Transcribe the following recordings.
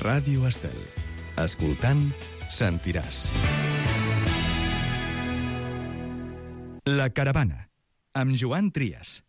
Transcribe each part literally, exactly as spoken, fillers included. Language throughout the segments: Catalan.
Ràdio Estel. Escoltant, sentiràs. La Caravana, amb Joan Trias.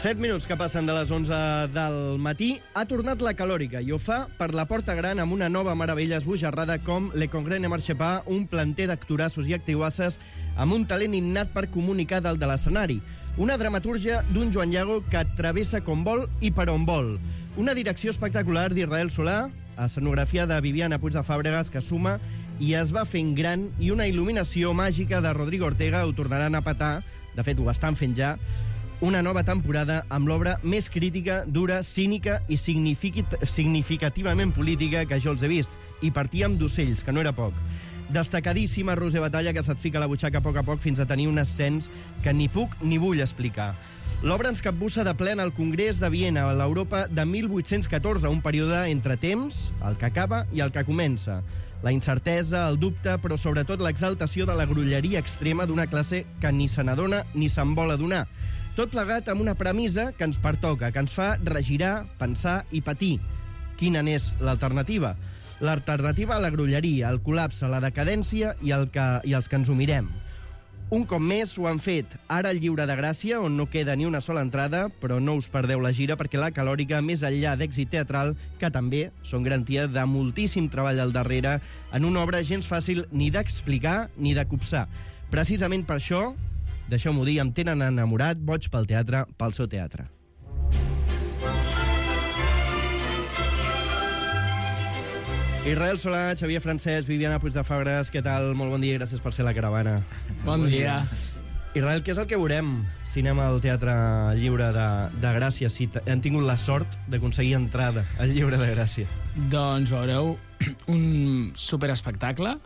set minuts que passen de les onze del matí. Ha tornat la calòrica i ho fa per la Porta Gran amb una nova meravella esbojarrada com Le Congrès ne marche pas, un planter d'actorassos i actriuasses amb un talent innat per comunicar dalt de l'escenari. Una dramatúrgia d'un Joan Llago que travessa com vol i per on vol. Una direcció espectacular d'Israel Solà, escenografia de Viviana Puig de Fàbregas, que suma i es va fent gran, i una il·luminació màgica de Rodrigo Ortega. Ho tornaran a petar, de fet ho estan fent ja. Una nova temporada amb l'obra més crítica, dura, cínica i significativament política que jo els he vist. I partíem d'ocells, que no era poc. Destacadíssima Roser Batalla, que se't fica a la butxaca a poc a poc fins a tenir un ascens que ni puc ni vull explicar. L'obra ens capbussa de ple al Congrés de Viena, a l'Europa de mil vuit-cents catorze, un període entre temps, el que acaba i el que comença. La incertesa, el dubte, però sobretot l'exaltació de la grolleria extrema d'una classe que ni se n'adona ni se'n vol adonar. Tot plegat amb una premissa que ens pertoca, que ens fa regirar, pensar i patir. Quina n'és l'alternativa? L'alternativa a la grolleria, al col·lapse, a la decadència i, el que, i els que ens ho mirem. Un cop més ho han fet. Ara el Lliure de Gràcia, on no queda ni una sola entrada, però no us perdeu la gira perquè la calòrica, més enllà d'èxit teatral, que també són garantia de moltíssim treball al darrere, en una obra gens fàcil ni d'explicar ni de copsar. Precisament per això, deixeu-m'ho dir, em tenen enamorat, boig pel teatre, pel seu teatre. Israel Solà, Xavier Francesc, Viviana Puig de Fàbregas, què tal? Molt bon dia i gràcies per ser a la caravana. Bon dia. Israel, què és el que veurem si anem al Teatre Lliure de, de Gràcia, si hem tingut la sort d'aconseguir entrada al Lliure de Gràcia? Doncs veureu un superespectacle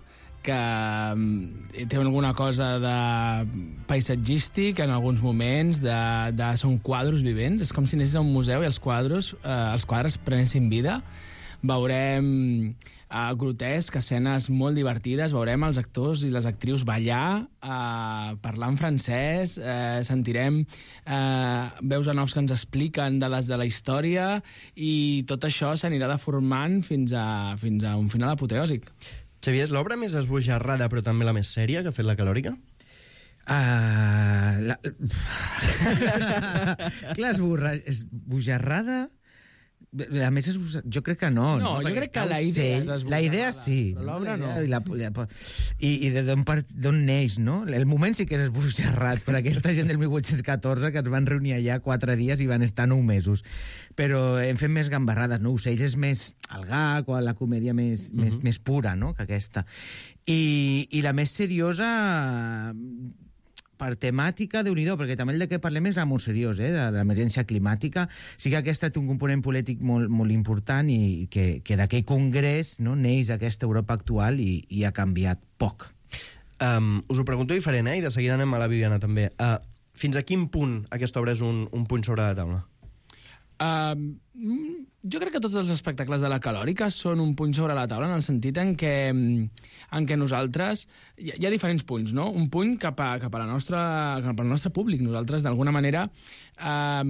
que té alguna cosa de paisatgístic en alguns moments, de, de, són quadros vivents, és com si anessis a un museu i els quadros, eh, els quadres prenessin vida. Veurem uh, grotesc, escenes molt divertides, veurem els actors i les actrius ballar, uh, parlar en francès, uh, sentirem uh, veus en offs que ens expliquen de les de la història, i tot això s'anirà deformant fins a, fins a un final apoteòsic. Xavier, és l'obra més esbojarrada però també la més sèria que ha fet la calòrica? Uh, la... Clar, esborra... esbojarrada... A més, jo crec que no. No, no jo crec que la idea és la idea sí. Però l'obra no. I, la, i, i d'on neix, no? El moment sí que és esbojarrat per aquesta gent del mil vuit-cents catorze que es van reunir allà quatre dies i van estar nou mesos. Però hem fet més gambarrades, no? Ocells és més el gag o la comèdia més, uh-huh. més, més pura, no?, que aquesta. I, i la més seriosa... per temàtica, Déu-n'hi-do, perquè també el de què parlem és molt seriós, eh, de l'emergència climàtica. Sí que aquesta té un component polític molt, molt important i que, que d'aquell congrés, no, neix aquesta Europa actual i, i ha canviat poc. Um, us ho pregunto diferent, eh, i de seguida anem a la Viviana també. Uh, fins a quin punt aquesta obra és un, un punt sobre la taula? Uh, jo crec que tots els espectacles de la calòrica són un punt sobre la taula, en el sentit en què, en què nosaltres... Hi ha, hi ha diferents punts, no? Un punt cap a, cap a la nostra, cap al nostre públic. Nosaltres, d'alguna manera, uh,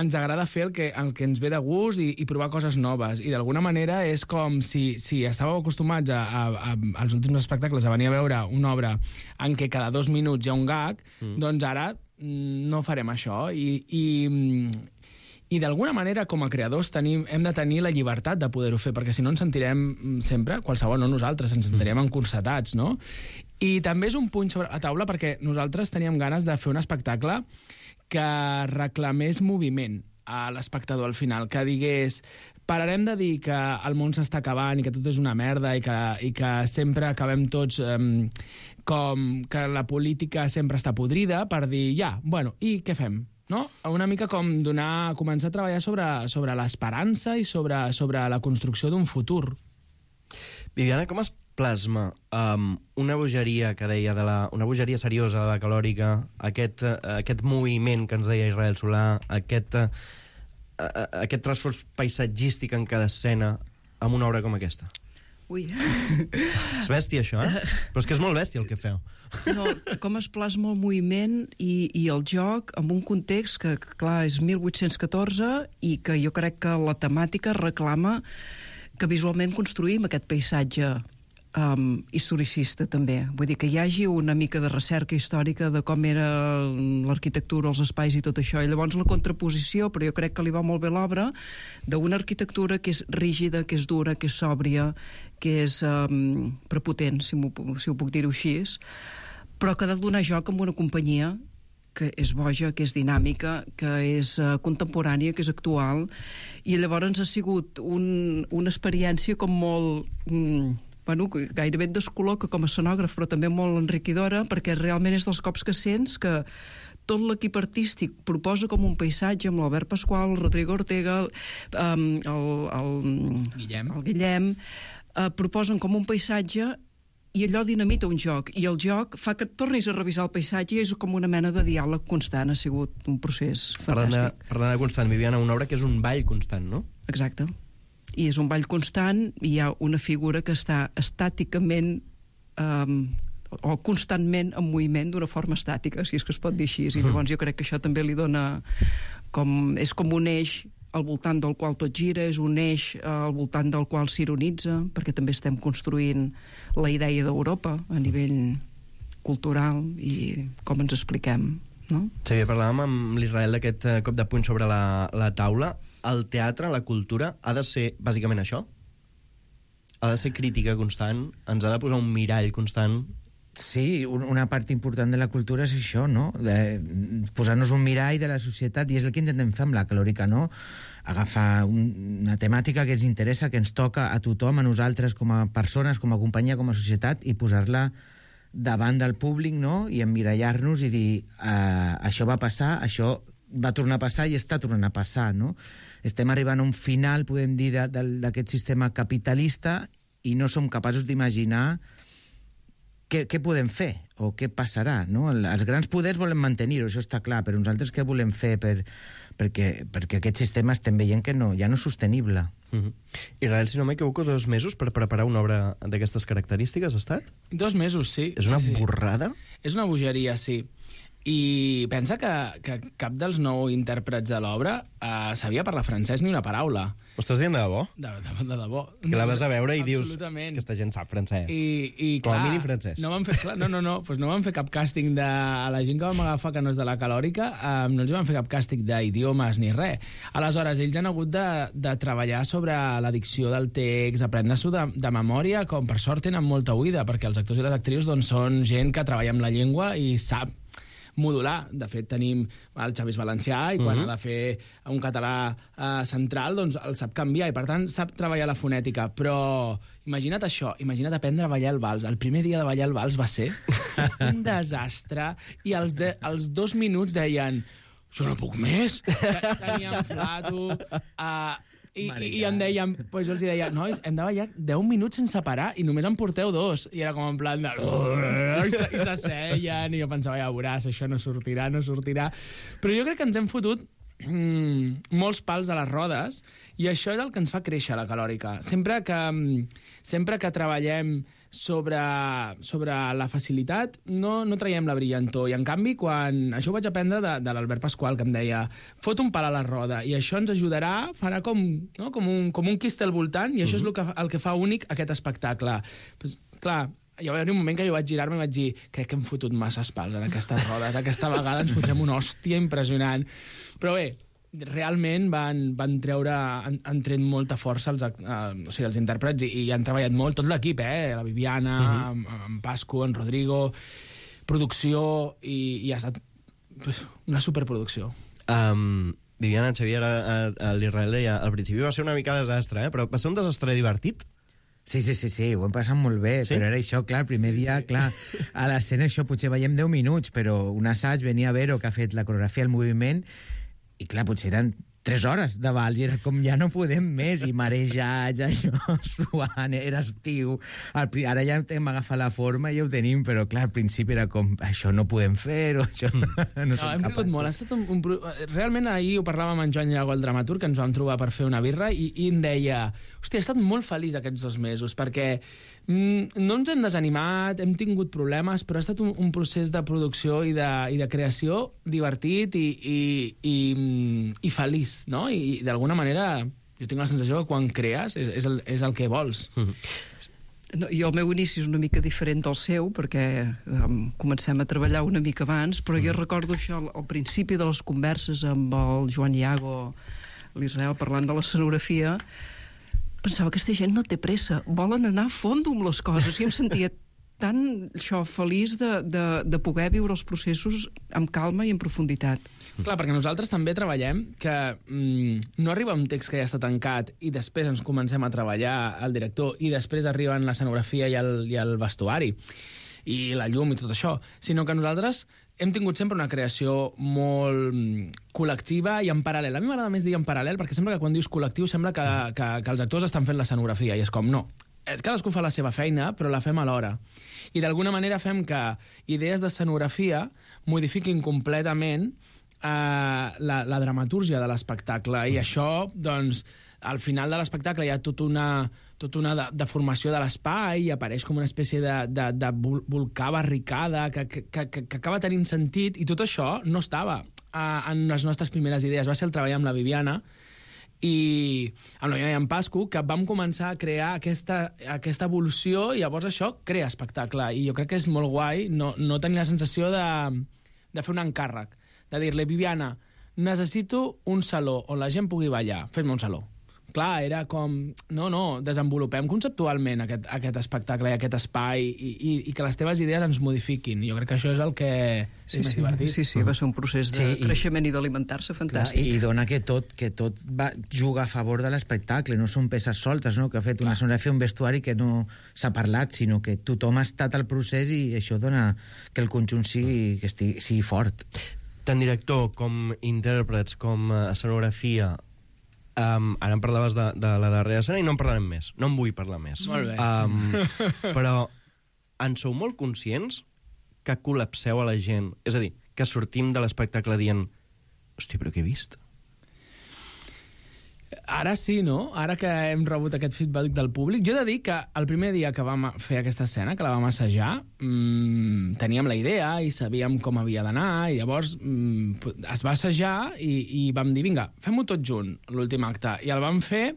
ens agrada fer el que, el que ens ve de gust i, i provar coses noves. I d'alguna manera és com si, si estàveu acostumats a, a, a, als últims espectacles a venir a veure una obra en què cada dos minuts hi ha un gag, mm. doncs ara no farem això. I... i I d'alguna manera, com a creadors, tenim, hem de tenir la llibertat de poder-ho fer, perquè si no ens sentirem sempre, qualsevol, no nosaltres, ens sentirem encorsetats, no? I també és un punt sobre la taula perquè nosaltres teníem ganes de fer un espectacle que reclamés moviment. a l'espectador al final, que digués pararem de dir que el món s'està acabant i que tot és una merda i que, i que sempre acabem tots um, com que la política sempre està podrida, per dir, ja, bueno, i què fem? No? Una mica com donar, començar a treballar sobre, sobre l'esperança i sobre, sobre la construcció d'un futur. Viviana, com es plasma um, una bogeria que deia de la, una bogeria seriosa de la Calòrica, aquest, uh, aquest moviment que ens deia Israel Solà, aquest, uh, aquest transfors paisatgístic en cada escena amb una obra com aquesta? Ui. És bèstia, això, eh? Però és que és molt bèstia el que feu. No, com es plasma el moviment i, i el joc en un context que, clar, és mil vuit-cents catorze i que jo crec que la temàtica reclama que visualment construïm aquest paisatge um, historicista, també. Vull dir, que hi hagi una mica de recerca històrica de com era l'arquitectura, els espais i tot això. I llavors la contraposició, però jo crec que li va molt bé l'obra, d'una arquitectura que és rígida, que és dura, que és sòbria, que és um, prepotent, si, si ho puc dir-ho així, però que ha de donar joc amb una companyia que és boja, que és dinàmica, que és uh, contemporània, que és actual, i llavors ha sigut un, una experiència com molt... Mm, bueno, gairebé et descol·loca com a escenògraf, però també molt enriquidora, perquè realment és dels cops que sents que tot l'equip artístic proposa com un paisatge amb l'Albert Pasqual, el Rodrigo Ortega, um, el, el, Guillem, el Guillem uh, proposen com un paisatge i allò dinamita un joc, i el joc fa que et tornis a revisar el paisatge i és com una mena de diàleg constant, ha sigut un procés fantàstic. Parlant de constant, Viviana, una obra que és un ball constant, no? Exacte. I és un ball constant, i hi ha una figura que està estàticament um, o constantment en moviment d'una forma estàtica, si és que es pot dir així, i llavors jo crec que això també li dona com... és com un eix al voltant del qual tot gira, és un eix al voltant del qual s'ironitza, perquè també estem construint la idea d'Europa a nivell cultural i com ens expliquem, no? Xavier, parlàvem amb l'Israel d'aquest cop de puny sobre la, la taula. El teatre, la cultura, ha de ser bàsicament això? Ha de ser crítica constant? Ens ha de posar un mirall constant? Sí, una part important de la cultura és això, no? De posar-nos un mirall de la societat, i és el que intentem fer amb la Calòrica, no? Agafar un, una temàtica que ens interessa, que ens toca a tothom, a nosaltres com a persones, com a companyia, com a societat, i posar-la davant del públic, no? I emmirallar-nos i dir uh, això va passar, això va tornar a passar i està tornant a passar, no? Estem arribant a un final, podem dir, d'aquest sistema capitalista i no som capaços d'imaginar què, què podem fer o què passarà, no? Els grans poders volen mantenir-ho, això està clar, però nosaltres què volem fer per, perquè, perquè aquest sistema estem veient que no, ja no és sostenible. Mm-hmm. Israel, si no m'equivoco, dos mesos per preparar una obra d'aquestes característiques ha estat? Dos mesos, sí. És una sí, sí. borrada? És una bogeria, sí. I pensa que, que cap dels nou intèrprets de l'obra eh, sabia parlar francès ni una paraula. Ho estàs dient de debò? De, de, de debò. Que la vas a veure i dius que aquesta gent sap francès. I, i Com clar, a mínim francès. No van fer, clar, no, no, no, pues no van fer cap càsting de... A la gent que vam agafar que no és de la Calòrica, eh, no els van fer cap càsting d'idiomes ni res. Aleshores, ells han hagut de, de treballar sobre la dicció del text, aprendre-s'ho de, de memòria, com per sort tenen molta oïda, perquè els actors i les actrius doncs, són gent que treballa amb la llengua i sap modular. De fet, tenim el Xavi Valencià i quan uh-huh. ha de fer un català eh, central, doncs el sap canviar i, per tant, sap treballar la fonètica. Però imagina't això, imagina't aprendre a ballar el vals. El primer dia de ballar el vals va ser un desastre i els, de, els dos minuts deien jo no puc més. Teníem flato... Uh, I, i, i em deien, pues jo els deia, nois, hem de ballar deu minuts sense parar i només en porteu dos. I era com en plan de... I s'asseien i jo pensava, ja veuràs, això no sortirà, no sortirà. Però jo crec que ens hem fotut mm, molts pals a les rodes i això és el que ens fa créixer la Calòrica. Sempre que, sempre que treballem sobre, sobre la facilitat, no, no traiem la brillantor. I, en canvi, quan... Això ho vaig aprendre de, de l'Albert Pasqual, que em deia fot un pal a la roda, i això ens ajudarà, farà com, no? com, un, com un quiste al voltant, i això uh-huh. és el que, el que fa únic aquest espectacle. Pues, clar, hi va haver un moment que jo vaig girar-me i vaig dir crec que hem fotut masses pals en aquestes rodes. Aquesta vegada ens fotrem una hòstia impressionant. Però bé, realment van, van treure, han, han tret molta força els, uh, o sigui, els intèrprets i, i han treballat molt, tot l'equip, eh? La Viviana, uh-huh. en, en Pasco, en Rodrigo, producció, i, i ha estat pues, una superproducció. Um, Viviana, Xavier, l'Israel deia, al principi va ser una mica desastre, eh? Però va ser un desastre divertit? Sí, sí, sí, sí, ho hem passat molt bé, sí? Però era això, clar, el primer sí, dia, sí. clar, a l'escena això potser veiem deu minuts, però un assaig venia a Vero, que ha fet la coreografia, el moviment, i clar, potser eren tres hores de vals, i era com ja no podem més, i marejats, allò, suant, era estiu, al, ara ja hem agafat la forma i ja ho tenim, però clar, al principi era com, això no podem fer-ho, això no, no, no som hem capaços. Molt. Ha estat un, un, realment ahir ho parlàvem amb en Joan Llago, el dramaturg, que ens vam trobar per fer una birra, i, i em deia, hòstia, he estat molt feliç aquests dos mesos, perquè mm, no ens hem desanimat, hem tingut problemes, però ha estat un, un procés de producció i de, i de creació divertit i, i, i, i feliç, no? I d'alguna manera jo tinc la sensació que quan crees és, és, el, és el que vols. No, jo el meu inici és una mica diferent del seu, perquè um, comencem a treballar una mica abans, però jo recordo això al, al principi de les converses amb el Joan Llago, l'Israel, parlant de l'escenografia, pensava que aquesta gent no té pressa, volen anar a fondo amb les coses, i em sentia tan això, feliç de, de, de poder viure els processos amb calma i en profunditat. Clar, perquè nosaltres també treballem que mm, no arriba un text que ja està tancat i després ens comencem a treballar el director i després arriben l'escenografia i, el, i el vestuari i la llum i tot això, sinó que nosaltres hem tingut sempre una creació molt col·lectiva i en paral·lel. A mi m'agrada més dir en paral·lel perquè sembla que quan dius col·lectiu sembla que, que, que els actors estan fent l'escenografia i és com, no, cadascú fa la seva feina, però la fem alhora. I d'alguna manera fem que idees d'escenografia modifiquin completament eh, la, la dramatúrgia de l'espectacle. I això, doncs, al final de l'espectacle hi ha tota una, tota una de, deformació de l'espai i apareix com una espècie de, de, de volcà barricada que, que, que, que acaba tenint sentit, i tot això no estava eh, en les nostres primeres idees. Va ser el treball amb la Viviana, i amb la Viviana i en Pasco, que vam començar a crear aquesta, aquesta evolució i llavors això crea espectacle. I jo crec que és molt guai no, no tenir la sensació de, de fer un encàrrec, de dir-li, Viviana, necessito un saló on la gent pugui ballar, fes-me un saló. Clar, era com, no, no, desenvolupem conceptualment aquest, aquest espectacle i aquest espai i, i, i que les teves idees ens modifiquin. Jo crec que això és el que és sí, més sí, divertit. Sí, sí, va ser un procés de sí, creixement i, i d'alimentar-se fantàstic. Clar, i dona que tot, que tot va, juga a favor de l'espectacle, no són peces soltes, no? Que ha fet una sonografia, un vestuari que no s'ha parlat, sinó que tothom ha estat al procés i això dona que el conjunt sigui, que estigui, sigui fort. Tant director com intèrprets, com escenografia, Um, ara em parlaves de, de la darrera escena i no en parlarem més. No en vull parlar més. Molt bé. Um, però en sou molt conscients que col·lapseu a la gent? És a dir, que sortim de l'espectacle dient hòstia, però què he vist? Ara sí, no? Ara que hem rebut aquest feedback del públic. Jo he de dir que el primer dia que vam fer aquesta escena, que la vam assajar, mmm, teníem la idea i sabíem com havia d'anar, i llavors mmm, es va assajar i, i vam dir, vinga, fem-ho tot junt, l'últim acte. I el vam fer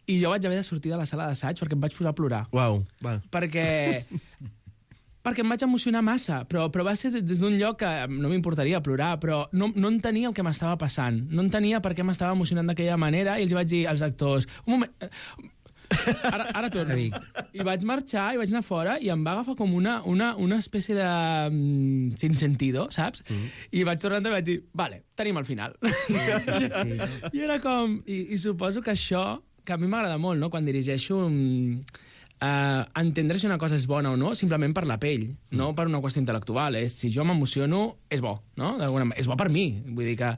i jo vaig haver de sortir de la sala d'assaig perquè em vaig posar a plorar. Uau, val. Perquè... perquè em vaig emocionar massa, però, però va ser des d'un lloc que no m'importaria plorar, però no, no entenia el que m'estava passant, no entenia per què m'estava emocionant d'aquella manera, i els vaig dir als actors, un moment, ara, ara torno. I vaig marxar, i vaig anar fora, i em va agafar com una, una, una espècie de... Um, sin sentido, saps? Mm. I vaig tornar i vaig dir, vale, tenim el final. Sí, sí, sí. I era com... I, i suposo que això, que a mi m'agrada molt, no?, quan dirigeixo... Um, Uh, entendre si una cosa és bona o no simplement per la pell, mm. no per una qüestió intel·lectual. És, si jo m'emociono, és bo, no? D'alguna... És bo per mi. Vull dir que...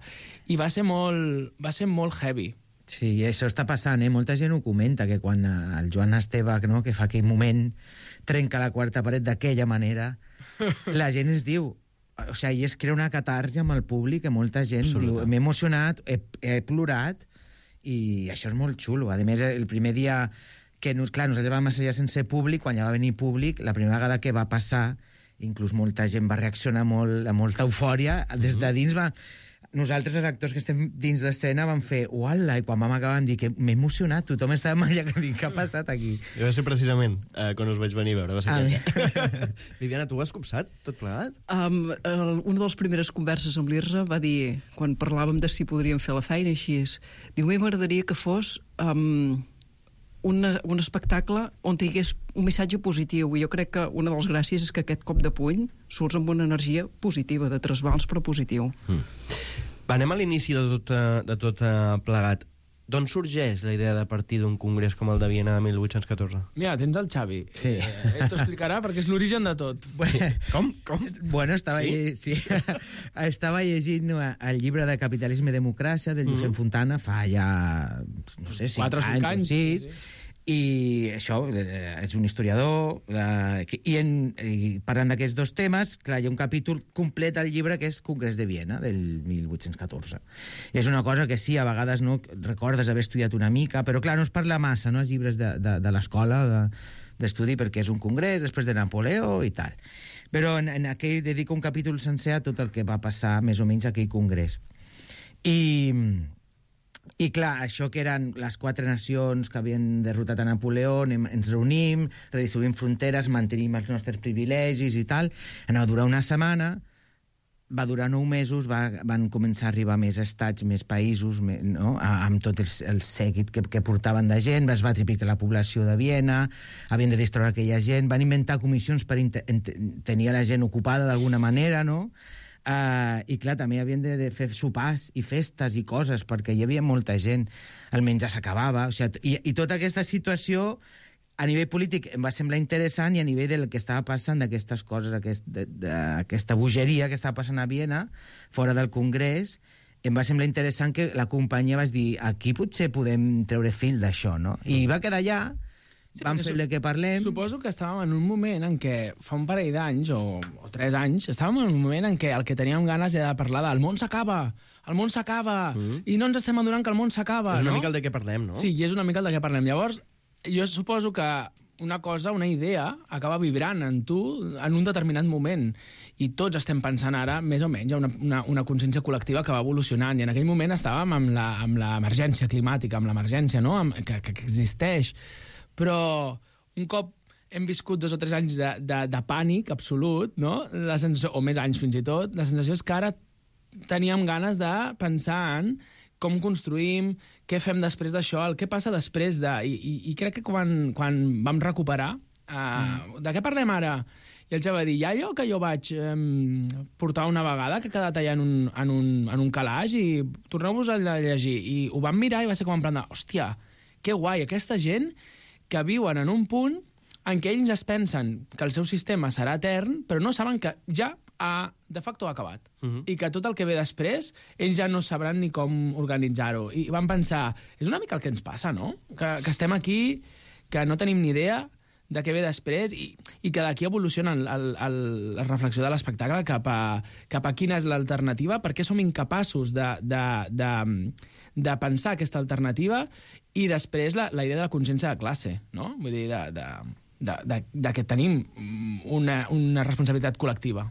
I va ser molt, va ser molt heavy. Sí, i això està passant, eh? Molta gent ho comenta, que quan el Joan Esteve, no?, que fa aquell moment, trenca la quarta paret d'aquella manera, la gent ens diu... O sigui, es crea una catarsi amb el públic, que molta gent Absoluta. Diu, m'he emocionat, he, he plorat, i això és molt xulo. A més, el primer dia... que, clar, nosaltres vam assajar sense públic, quan ja va venir públic, la primera vegada que va passar, inclús molta gent va reaccionar molt, amb molta eufòria, des de dins va... Nosaltres, els actors que estem dins d'escena, vam fer uala, i quan vam acabar vam dir que m'he emocionat, tothom estava allà que dic, què ha passat aquí? I va ser precisament eh, quan us vaig venir a veure, va ser ah, Viviana, tu ho has copsat, tot plegat? Um, el, una de les primeres converses amb l'Irra va dir, quan parlàvem de si podríem fer la feina, així és, diu, m'agradaria que fos... Um, Una, un espectacle on hi hagués un missatge positiu, i jo crec que una de les gràcies és que aquest cop de puny surts amb una energia positiva, de trasbals però positiu. Mm. Anem a l'inici de tot, eh, de tot eh, plegat. D'on sorgeix la idea de partir d'un congrés com el de Viena de mil vuit-cents catorze? Mira, tens el Xavi. Sí. Eh, ell t'ho explicarà perquè és l'origen de tot. Com? Com? Bueno, estava, Sí? lle- sí? estava llegint el llibre de Capitalisme i Democràcia de Josep Mhm. Fontana fa ja, no sé, cinc Quatre o cinc anys, anys, o sis, sí, sí. i això, eh, és un historiador, eh, que- i, en, i parlant d'aquests dos temes, clar, hi ha un capítol complet al llibre que és Congrés de Viena, del mil vuit-cents catorze. I és una cosa que sí, a vegades no recordes haver estudiat una mica, però clar, no es parla massa, no?, els llibres de, de, de l'escola, de, d'estudi, perquè és un congrés, després de Napoleó i tal. Però en, en aquell dedico un capítol sencer a tot el que va passar més o menys a aquell congrés. I... I clar, això que eren les quatre nacions que havien derrotat a Napoleó, anem, ens reunim, redistribuïm fronteres, mantenim els nostres privilegis i tal, anava a durar una setmana, va durar nou mesos, va, van començar a arribar més estats, més països, més, no? A, amb tot el, el seguit que, que portaven de gent, es va triplicar la població de Viena, havien de distreure aquella gent, van inventar comissions per tenir la gent ocupada d'alguna manera, no?, Uh, i clar, també havien de, de fer sopars i festes i coses, perquè hi havia molta gent, el menjar s'acabava, o sigui, i, i tota aquesta situació a nivell polític em va semblar interessant, i a nivell del que estava passant d'aquestes coses, aquest, de, de, aquesta bogeria que estava passant a Viena, fora del Congrés, em va semblar interessant que la companyia va dir, aquí potser podem treure fil d'això, no? I va quedar allà. Sí, Vam perquè fer su- el que parlem. Suposo que estàvem en un moment en què, fa un parell d'anys, o, o tres anys, estàvem en un moment en què el que teníem ganes era de parlar del món s'acaba, el món s'acaba, Mm. i no ens estem adonant que el món s'acaba, És una no? mica el de què parlem, no? Sí, i és una mica el de què parlem. Llavors, jo suposo que una cosa, una idea, acaba vibrant en tu en un determinat moment. I tots estem pensant ara, més o menys, una, una, una consciència col·lectiva que va evolucionant. I en aquell moment estàvem amb la- amb l'emergència climàtica, amb l'emergència, no?, amb, que, que existeix. Però un cop hem viscut dos o tres anys de, de, de pànic absolut, no?, la sensació, o més anys fins i tot, la sensació és que ara teníem ganes de pensar en com construïm, què fem després d'això, el que passa després de... I, i, i crec que quan, quan vam recuperar, uh, mm. de què parlem ara? I el Xavi va dir, hi ha allò que jo vaig um, portar una vegada, que ha quedat allà en un, en un, en un calaix, i torneu-vos a llegir. I ho vam mirar i va ser com en plan de, hòstia, que guai, aquesta gent que viuen en un punt en què ells es pensen que el seu sistema serà etern, però no saben que ja ha, de facto ha acabat. Uh -huh. I que tot el que ve després, ells ja no sabran ni com organitzar-ho. I van pensar, és una mica el que ens passa, no? Que, que estem aquí, que no tenim ni idea de què ve després, i, i que d'aquí evoluciona el, el, el, la reflexió de l'espectacle cap a, cap a quina és l'alternativa, perquè som incapaços de, de, de, de pensar aquesta alternativa, i després la, la idea de la consciència de classe, no? Vull dir, de, de, de, de, de que tenim una, una responsabilitat col·lectiva.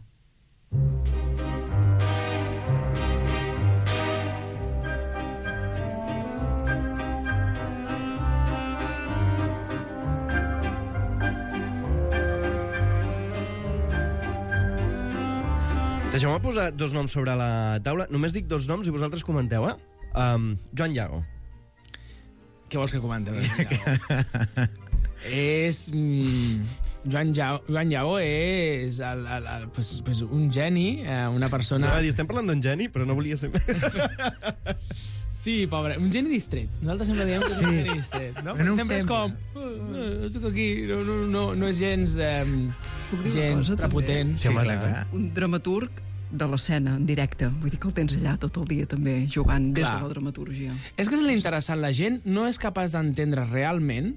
Deixeu-me posar dos noms sobre la taula. Només dic dos noms i vosaltres comenteu, eh? Um, Joan Llago. Què vols que comenti? és... Mm, Joan Llago, Joan Llago és el, el, el, pues, pues un geni, eh, una persona... No, dir, estem parlant d'un geni, però no volia ser... Sí, pobre, un geni distret. Nosaltres sempre diem que és Sí. un geni distret, no? Però no ho sempre és sembla. com... Uh, uh, estic aquí, no, no, no, no és gens... Eh, Puc dir una gens cosa, també? prepotent. Sí, home, clar, clar. clar. Un dramaturg de l'escena, en directe. Vull dir que el tens allà tot el dia també, jugant des Clar. de la dramaturgia. És que és l'interessant, la gent no és capaç d'entendre realment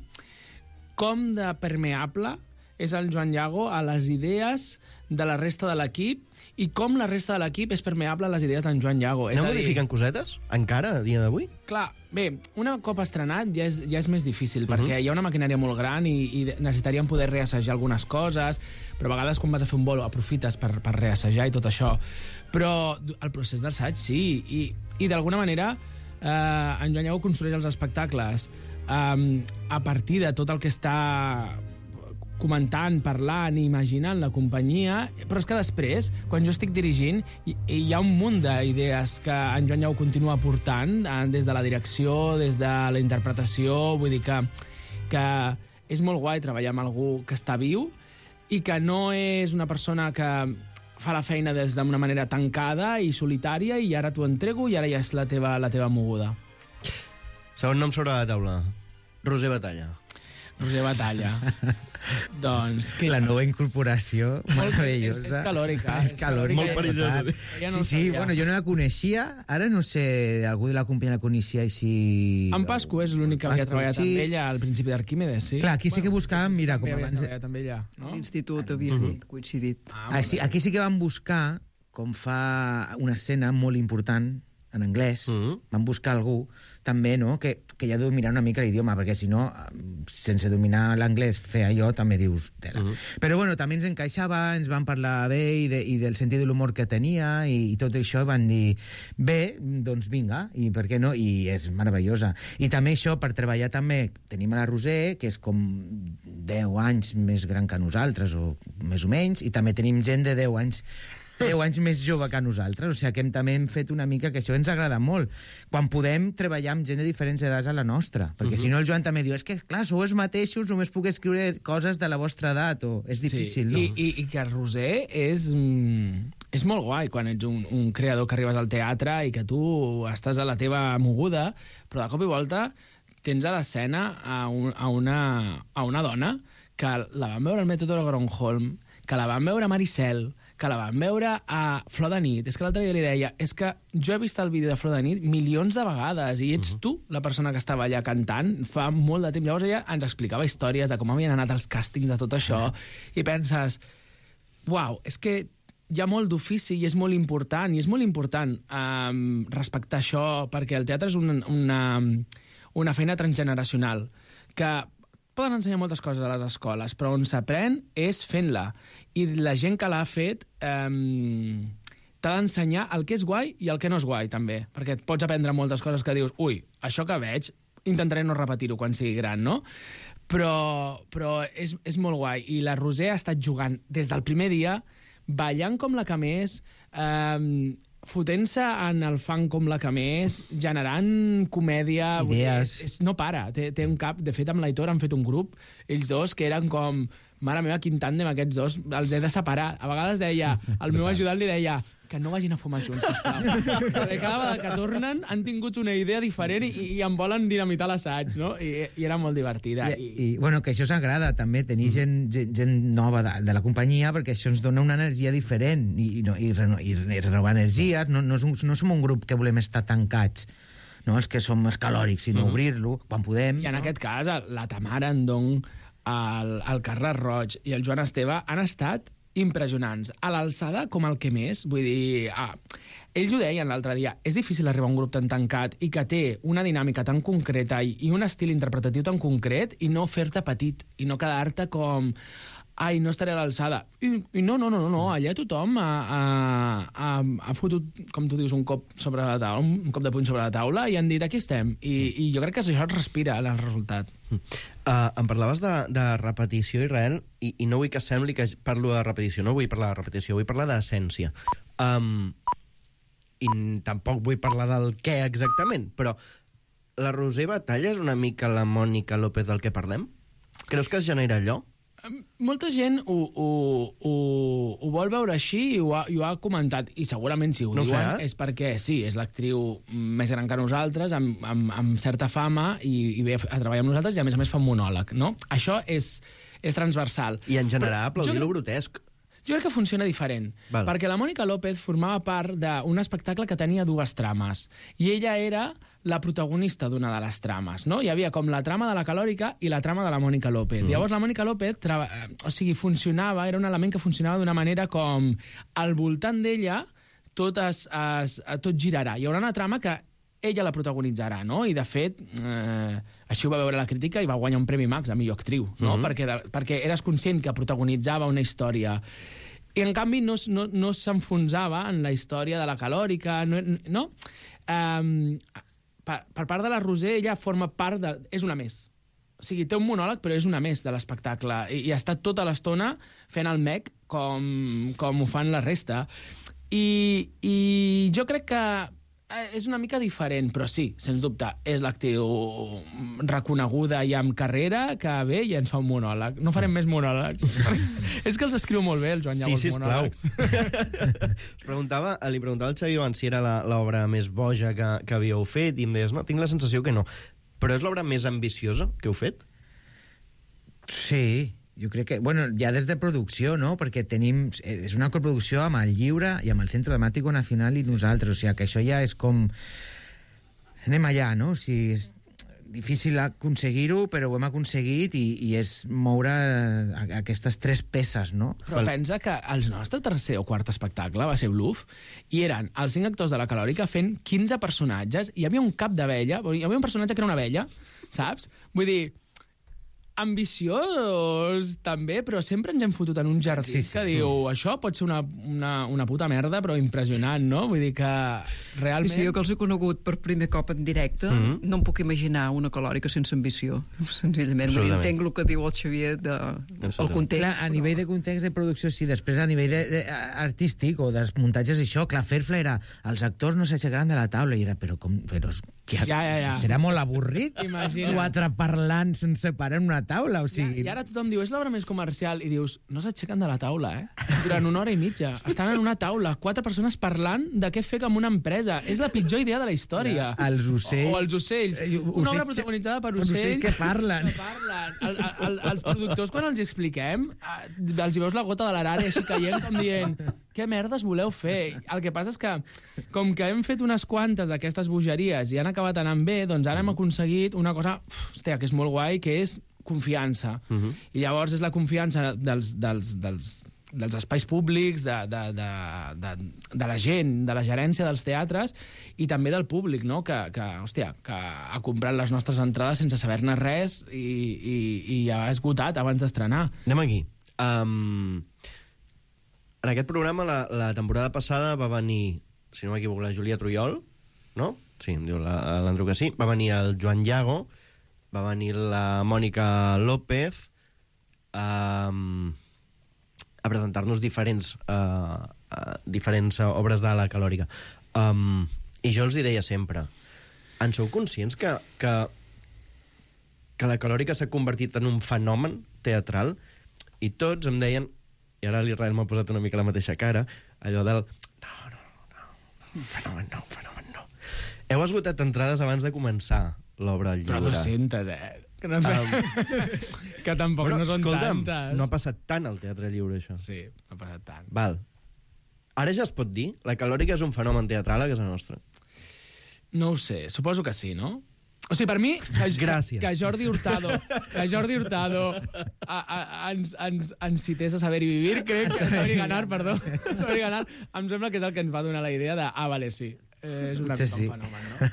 com de permeable és el Joan Llago a les idees de la resta de l'equip i com la resta de l'equip és permeable a les idees d'en Joan Llago. És Aneu a dir, modificant cosetes? Encara, a dia d'avui? clar, bé, una cop estrenat ja és, ja és més difícil, Mhm. perquè hi ha una maquinària molt gran i, i necessitaríem poder reassajar algunes coses, però a vegades quan vas a fer un bolo aprofites per, per reassajar i tot això. Però el procés d'assaig sí, i, i d'alguna manera eh, en Joan Llago construeix els espectacles eh, a partir de tot el que està comentant, parlant i imaginant la companyia, però és que després, quan jo estic dirigint, hi, hi ha un munt d'idees que en Joan Llago continua aportant, eh, des de la direcció, des de la interpretació, vull dir que, que és molt guai treballar amb algú que està viu i que no és una persona que fa la feina des d'una manera tancada i solitària i ara t'ho entrego i ara ja és la teva, la teva moguda. Segon nom sobre la taula. Roser Batalla. Roser Batalla. Doncs... Que... La nova incorporació, meravellosa. És, és calòrica. És calòrica. Molt perillosa. Ja no sí, sí, bueno, jo no la coneixia, ara no sé, algú de la companyia la coneixia i si... En Pasco és l'únic que havia Pasco, treballat sí. amb ella al principi d'Arquímedes, sí? Clar, aquí sí que buscàvem, mira, com També abans... havies treballat amb ella, no? A l'institut havia dit, coincidit. Ah, Ah, sí, aquí sí que vam buscar, com fa una escena molt important, en anglès, Mhm. vam buscar algú també, no?, que, que ja dominar una mica l'idioma, perquè si no, sense dominar l'anglès, fer allò també dius tela. Mhm. Però bueno, també ens encaixava, ens van parlar bé i, de, i del sentit de l'humor que tenia i, i tot això, i van dir, bé, doncs vinga, i per què no? I és meravellosa. I també això, per treballar també, tenim a la Roser, que és com deu anys més gran que nosaltres, o més o menys, i també tenim gent de deu anys deu anys més jove que nosaltres, o sigui que hem, també hem fet una mica que això ens agrada molt. Quan podem treballar amb gent de diferents edats a la nostra, perquè uh -huh. si no el Joan també diu, és que clar, sou els mateixos, només puc escriure coses de la vostra edat, o és difícil, sí. no? I, i, I que Roser és, mm, és molt guai quan ets un, un creador que arribes al teatre i que tu estàs a la teva moguda, però de cop i volta tens a l'escena a, un, a, una, a una dona que la van veure al mètode de Gronholm, que la van veure a Maricel, que la van veure a Flor de nit. És que l'altre dia li deia, és que jo he vist el vídeo de Flor de nit milions de vegades i ets uh -huh. tu la persona que estava allà cantant fa molt de temps. Llavors ella ens explicava històries de com havien anat els càstings de tot això i penses, uau, és que hi ha molt d'ofici i és molt important, i és molt important um, respectar això, perquè el teatre és una, una, una feina transgeneracional que poden ensenyar moltes coses a les escoles, però on s'aprèn és fent-la. I la gent que l'ha fet eh, t'ha d'ensenyar el que és guai i el que no és guai, també. Perquè et pots aprendre moltes coses que dius, ui, això que veig, intentaré no repetir-ho quan sigui gran, no? Però, però és, és molt guai. I la Roser ha estat jugant des del primer dia, ballant com la que més, eh, fotent-se en el fan com la que més, generant comèdia... Idees. És, és, no para, té, té un cap... De fet, amb l'Aitor han fet un grup, ells dos, que eren com... Mare meva, quin tàndem aquests dos, els he de separar. A vegades deia, el meu ajudant li deia que no vagin a fumar junts, sisplau. Perquè cada vegada que tornen han tingut una idea diferent i, i em volen dinamitar l'assaig, no? I, i era molt divertida. I, i, bueno, que això s'agrada també, tenir gent, gent, gent nova de, de la companyia, perquè això ens dona una energia diferent i, i, no, i, reno, i, i renovar energies. No, no, no som un grup que volem estar tancats, no els que som escalòrics, sinó uh -huh. obrir-lo quan podem. I en no? aquest cas, la Tamara Andong, el, el Carles Roig i el Joan Esteve han estat impressionants. A l'alçada com el que més, vull dir... Ah, ells ho deien l'altre dia, és difícil arribar a un grup tan tancat i que té una dinàmica tan concreta i, i un estil interpretatiu tan concret i no fer-te petit i no quedar-te com... Ai, no estaré a l'alçada. I, I no, no, no, no, no, allà tothom ha, ha, ha, ha fotut, com tu dius, un cop sobre la taula, un cop de puny sobre la taula i han dit, aquí estem. I, i jo crec que això es respira en el resultat. Uh, em parlaves de, de repetició, Israel, i, i no vull que sembli que parlo de repetició, no vull parlar de repetició, vull parlar d'essència. Um, I tampoc vull parlar del què exactament, però la Roser Batalla és una mica la Mònica López del que parlem? Creus que es genera allò? Molta gent ho, ho, ho, ho vol veure així i ho, ha, i ho ha comentat, i segurament si ho no diuen serà? és perquè sí, és l'actriu més gran que nosaltres, amb, amb, amb certa fama, i, i ve a treballar amb nosaltres, i a més a més fa un monòleg, no? Això és, és transversal. I en general aplaudir lo jo, grotesc. jo crec que funciona diferent, Val. perquè la Mònica López formava part d'un espectacle que tenia dues trames, i ella era la protagonista d'una de les trames, no? Hi havia com la trama de la Calòrica i la trama de la Mònica López. Mm. Llavors la Mònica López, o sigui, funcionava, era un element que funcionava d'una manera com al voltant d'ella tot, es, es, tot girarà. Hi haurà una trama que ella la protagonitzarà, no? I, de fet, eh, així ho va veure la crítica i va guanyar un Premi Max a millor actriu, no? Mm-hmm. perquè, de, perquè eres conscient que protagonitzava una història. I, en canvi, no, no, no s'enfonsava en la història de la Calòrica, no? no? Um, per, per part de la Roser, ella forma part de... És una més. O sigui, té un monòleg, però és una més de l'espectacle. I, i està tota l'estona fent el mec com, com ho fan la resta. I, i jo crec que eh, és una mica diferent, però sí, sens dubte, és l'actriu reconeguda i amb carrera que ve i ens fa un monòleg. No farem més monòlegs. És que els escriu molt bé, el Joan Llago, sí, els monòlegs. Us preguntava, li preguntava al Xavi abans si era la- l'obra més boja que, que havíeu fet, i em deies, no, tinc la sensació que no. Però és l'obra més ambiciosa que heu fet? Sí, jo crec que... Bueno, ja des de producció, no? Perquè tenim... És una coproducció amb el Lliure i amb el Centro Dramático Nacional i nosaltres. O sigui, que això ja és com... Anem allà, no? O sigui, és difícil aconseguir-ho, però ho hem aconseguit i, i és moure a- aquestes tres peces, no? Però pensa que el nostre tercer o quart espectacle va ser Bluff i eren els cinc actors de la Calòrica fent quinze personatges i hi havia un cap d'abella, hi havia un personatge que era una abella, saps? Vull dir, ambiciós també, però sempre ens hem fotut en un jardí Sí, sí. que diu, això pot ser una, una, una puta merda, però impressionant, no? Vull dir que realment... Sí, sí, jo que els he conegut per primer cop en directe, mm -hmm. no em puc imaginar una Calòrica sense ambició, senzillament. Vull dir, entenc el que diu el Xavier de, el context. Clar, a nivell de context de producció, sí. Després, a nivell de, de, artístic o dels muntatges, això, clar, fer-fla era... Els actors no s'aixecaran de la taula i era, però com... Però, que, Ja, ja, ja. Serà molt avorrit. Imagina't. Quatre parlant sense parar en una taula, o sigui... I, I ara tothom diu, és l'obra més comercial, i dius, no s'aixequen de la taula, eh? Durant una hora i mitja. Estan en una taula, quatre persones parlant de què fer amb una empresa. És la pitjor idea de la història. Els ocells... O els ocells. Eh, Una obra ocells- protagonitzada per per ocells... ocells que parlen. Que parlen. El, el, els productors, quan els hi expliquem, eh, els hi veus la gota de l'arari així caient, com dient, què merdes voleu fer? El que passa és que, com que hem fet unes quantes d'aquestes bogeries i han acabat anant bé, doncs ara hem aconseguit una cosa, uf, hòstia, que és molt guai, que és confiança. Uh -huh. I llavors és la confiança dels, dels, dels, dels espais públics, de, de, de, de, de la gent, de la gerència dels teatres i també del públic, no? que, que, hòstia, que ha comprat les nostres entrades sense saber-ne res i, i, i ha esgotat abans d'estrenar. Anem aquí. Um, en aquest programa, la, la temporada passada va venir, si no m'equivoco, la Júlia Trujol, no? Sí, em diu la- l'Andro que sí. Va venir el Joan Llago, va venir la Mònica López um, a presentar-nos diferents, uh, uh, diferents uh, obres de la Calòrica. Um, I jo els hi deia sempre, en sou conscients que, que, que la Calòrica s'ha convertit en un fenomen teatral? I tots em deien, i ara l'Israel m'ha posat una mica la mateixa cara, allò del... No, no, no, un fenomen no, un fenomen no. Heu esgotat entrades abans de començar l'obra al Però Lliure. dues-centes, eh? Que, no, Um, que tampoc Però, no són escolta'm, tantes. no ha passat tant al Teatre Lliure, això. Sí, no ha passat tant. Val. Ara ja es pot dir? La Calòrica és un fenomen teatral a casa nostra. No ho sé, suposo que sí, no? O sigui, per mi, que, Gràcies. que Jordi Hurtado, que Jordi Hurtado a, a, ens, ens, ens cités a Saber i Vivir, crec que Saber i Ganar, perdó, Saber i Ganar, em sembla que és el que ens va donar la idea de, ah, vale, sí, eh, és una Sí, mica sí. un fenomen, no?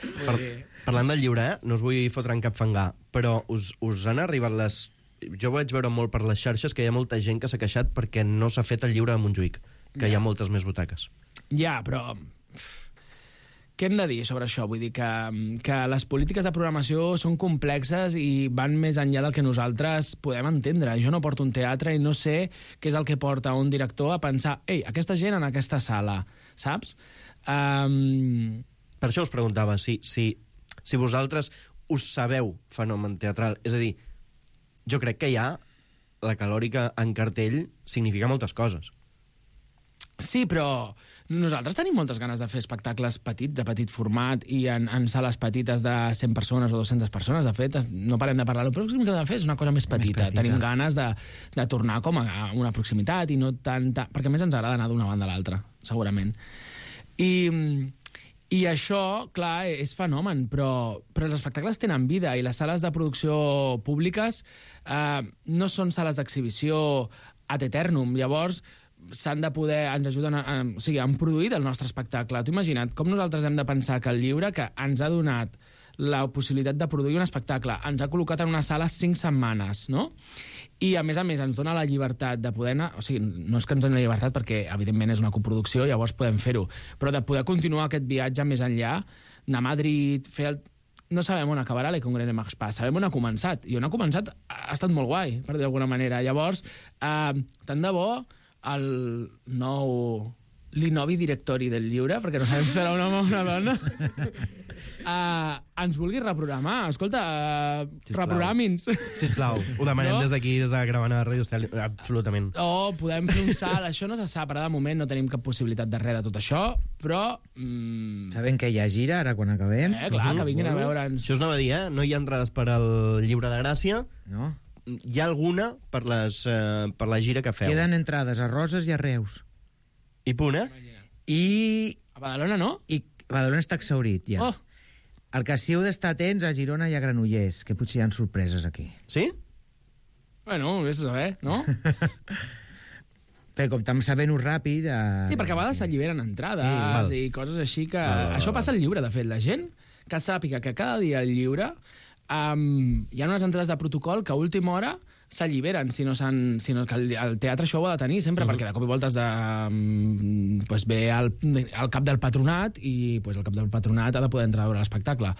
Per, Vull dir, parlant del llibre, eh? No us vull fotre en cap fangar, però us, us han arribat les... Jo vaig veure molt per les xarxes que hi ha molta gent que s'ha queixat perquè no s'ha fet el llibre de Montjuïc, que hi ha moltes més butaques. ja, però... Què hem de dir sobre això? Vull dir que, que les polítiques de programació són complexes i van més enllà del que nosaltres podem entendre. Jo no porto un teatre i no sé què és el que porta un director a pensar ei, aquesta gent en aquesta sala, saps? Um... Per això us preguntava si, si, si vosaltres us sabeu fenomen teatral. És a dir, jo crec que ja la Calòrica en cartell significa moltes coses. Sí, però nosaltres tenim moltes ganes de fer espectacles petits, de petit format, i en, en sales petites de cent persones o dues-centes persones. De fet, es- no parem de parlar. El pròxim que hem de fer és una cosa més petita. petita. Tenim ganes de, de tornar com a una proximitat i no tant... tant perquè a més ens agrada anar d'una banda a l'altra, segurament. I, I això, clar, és fenomen, però, però els espectacles tenen vida i les sales de producció públiques eh, no són sales d'exhibició ad eternum. Llavors, s'han de poder, ens ajuden a, a, o sigui, han produït el nostre espectacle. Tu imagina't com nosaltres hem de pensar que el llibre, que ens ha donat la possibilitat de produir un espectacle, ens ha col·locat en una sala cinc setmanes, no? I, a més a més, ens dona la llibertat de poder anar... O sigui, no és que ens doni la llibertat perquè, evidentment, és una coproducció, llavors podem fer-ho, però de poder continuar aquest viatge més enllà, anar a Madrid, fer el... No sabem on acabarà l'E Congrés de March Pas, sabem on ha començat, i on ha començat ha estat molt guai, per dir d'alguna manera. Llavors, eh, tant de bo el nou l'Inovi directori del llibre, perquè no sabem si serà un home o una dona, uh, ens vulgui reprogramar. Escolta, uh, reprogrami'ns. Sisplau, ho demanem No? des d'aquí, des de Caravana de Ràdio Estel, absolutament. O podem fer un salt, això no se sap, ara de moment no tenim cap possibilitat de res de tot això, però... Mm, Sabem que hi ha gira, ara quan acabem. eh, clar, que vinguin a veure'ns. Això us anava a dir, eh? No hi ha entrades per al Llibre de Gràcia, No? hi ha alguna per, les, eh, per la gira que feu. Queden entrades a Roses i a Reus. I punt, eh? I, A Badalona, no? i Badalona està exhaurit, ja. Oh, El que sí heu d'estar atents a Girona i a Granollers, que potser hi ha sorpreses aquí. Sí? bueno, vés a saber, no? Però com tam sabent-ho ràpid... Eh... Sí, perquè a vegades s'alliberen entrades val. i coses així que... Val, val, Això val. passa al llibre, de fet. La gent que sàpiga que cada dia al llibre um, hi ha unes entrades de protocol que a última hora s'alliberen, si no, s'han- si no que el, el teatre això ho ha de tenir sempre, perquè de cop i volta has de, um, pues ve al, al cap del patronat i pues, el cap del patronat ha de poder entrar a veure l'espectacle.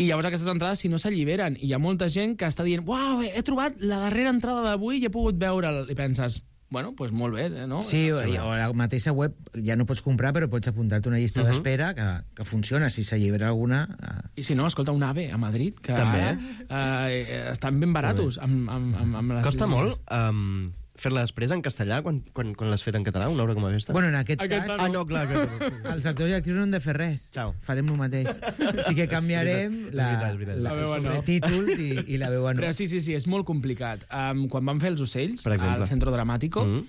I llavors aquestes entrades, si no s'alliberen, i hi ha molta gent que està dient «Uau, he trobat la darrera entrada d'avui i he pogut veure'l», i penses bueno, doncs molt bé, no? Sí, o, o a la mateixa web ja no pots comprar, però pots apuntar-te una llista uh -huh. d'espera que, que funciona. Si s'allibera alguna... Eh... I si no, escolta, un AVE a Madrid, que També. ara eh, estan ben baratos. Amb, amb, amb, amb les Costa línies. molt um, fer-la després en castellà quan, quan, quan l'has fet en català, una obra com aquesta? Bueno, en aquest Aquesta cas, Ah, no, clar. Que... els actors i actrius no han de fer res. Ciao. Farem el mateix. Sí que canviarem És la, veritat, és veritat. la, La veu en els off. títols i, i la veu en Però off. sí, sí, sí, és molt complicat. Um, quan van fer Els ocells, Per exemple. al Centro Dramàtico, Mm.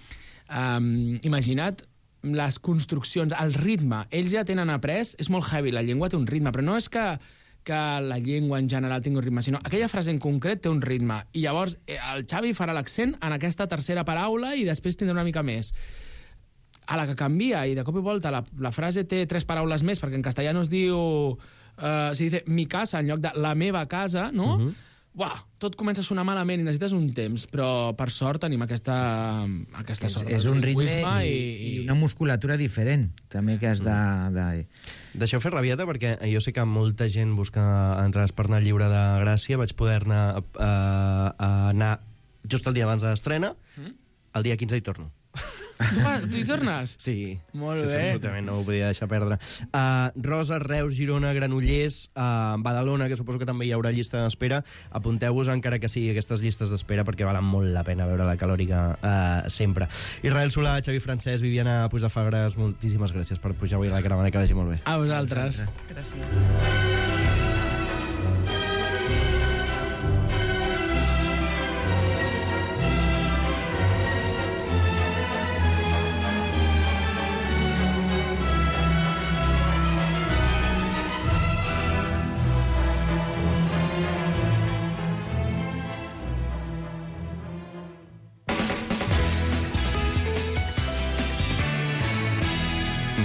um, imagina't les construccions, el ritme. Ells ja tenen après, és molt heavy, la llengua té un ritme, però no és que que la llengua en general tingui un ritme, sinó aquella frase en concret té un ritme. I llavors eh, el Xavi farà l'accent en aquesta tercera paraula i després tindrà una mica més. A la que canvia i de cop i volta la, la frase té tres paraules més, perquè en castellà no es diu... Uh, si dice mi casa en lloc de la meva casa, no? Uh -huh. Uah, tot comença a sonar malament i necessites un temps, però per sort tenim aquesta, aquesta És, sort. és un ritme lingüisme i, i una musculatura diferent, també, que has de... de... Deixeu fer rabieta, perquè jo sé que molta gent busca entrades per anar al Llibre de Gràcia. Vaig poder-ne uh, uh, anar just el dia abans de l'estrena. Mm? El dia quinze hi torno. Tu, vas, tu hi tornes? Sí. Molt sí, sí, bé. absolutament, no ho podia deixar perdre. Uh, Roses, Reus, Girona, Granollers, uh, Badalona, que suposo que també hi haurà llista d'espera. Apunteu-vos, encara que sigui aquestes llistes d'espera, perquè valen molt la pena veure la Calòrica uh, sempre. Israel Solà, Xavi Francesc, Viviana Puigdefagres, moltíssimes gràcies per pujar avui a la caravana, que vagi molt bé. A vosaltres. Gràcies.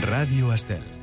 Ràdio Estel.